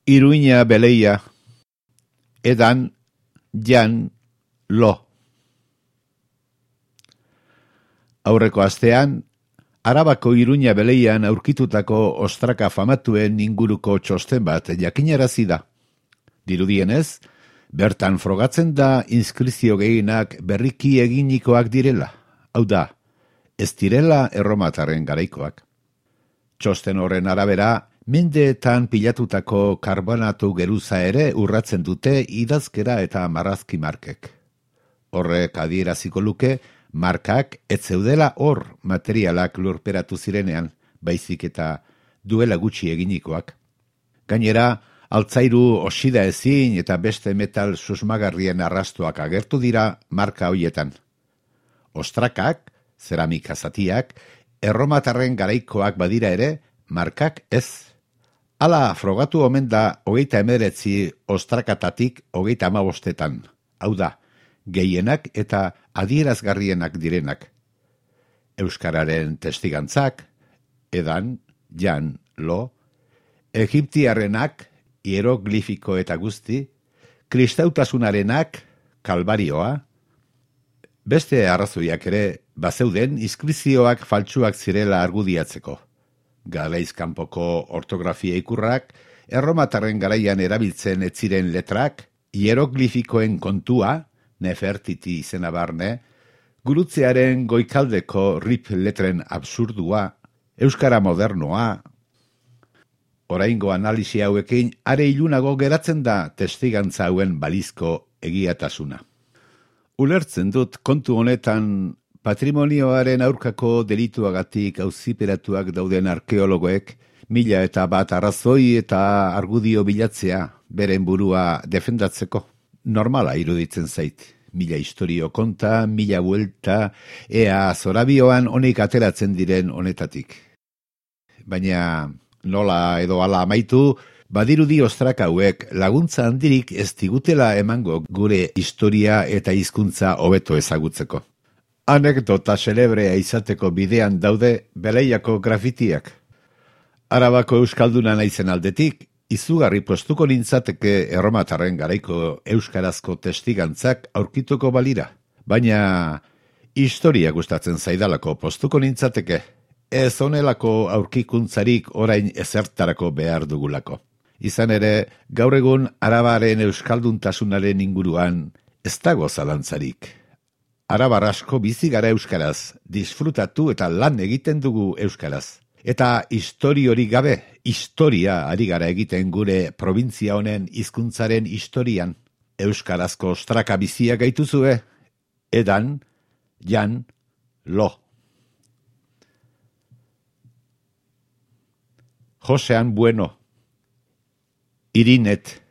Iruña beleia, edan, jan, lo. Aurreko astean, Arabako Iruña beleian aurkitutako ostraka famatuen inguruko txosten bat jakinarazi da. Dirudienez, bertan frogatzen da inskrizio gehienak berriki eginikoak direla. Hau da, ez direla erromatarren garaikoak. Txosten horren arabera, mendeetan pilatutako karbonatu geruza ere urratzen dute idazkera eta marrazki markek. Horrek adieraziko luke, markak ez zeudela hor materialak lurperatu zirenean, baizik eta duela gutxi eginikoak. Gainera, altzairu oxida ezin eta beste metal susmagarrien arrastoak agertu dira marka hoietan. Ostrakak, zeramika zatiak, erromatarren garaikoak badira ere, markak ez. Hala frogatu omen da 39 ostrakatatik 35etan, hau da, gehienak eta adierazgarrienak direnak. Euskararen testigantzak, edan, jan, lo, egiptiarrenak, hieroglifiko eta guzti, kristautasunarenak, kalbarioa, beste arrazoiak ere bazeuden inskrizioak faltsuak zirela argudiatzeko. Galaizkanpoko ortografia ikurrak, erromatarren garaian erabiltzen ez ziren letrak, hieroglifikoen kontua, Nefertiti izena barne, gurutzearen goikaldeko rip letren absurdua, euskara modernoa. Oraingo analisi hauekin are ilunago geratzen da testigantza hauen balizko egiatasuna. Ulertzen dut kontu honetan patrimonioaren aurkako delituagatik auziperatuak dauden arkeologoek 1001 arrazoi eta argudio bilatzea beren burua defendatzeko. Normala iruditzen zait. 1000 historio konta, 1000 buelta, ea zorabioan honek ateratzen diren honetatik. Baina nola edo hala amaitu, badirudi ostraka hauek laguntza handirik ez digutela emango gure historia eta hizkuntza hobeto ezagutzeko. Anekdota celebrea izateko bidean daude beleiako grafitiak. Arabako euskalduna naizen aldetik, izugarri postuko nintzateke erromatarren garaiko euskarazko testigantzak aurkituko balira. Baina historia gustatzen zaidalako postuko nintzateke, ez honelako aurkikuntzarik orain ezertarako behar dugulako. Izan ere, gaur egun arabaren euskalduntasunaren inguruan ez dago zalantzarik. Arabar asko bizi gara euskaraz, disfrutatu eta lan egiten dugu euskaraz. Eta historiorik gabe, historia ari gara egiten gure provintzia honen hizkuntzaren historian. Euskarazko ostraka bizia gaituzue, edan, jan, lo. Josean Bueno, Irinet.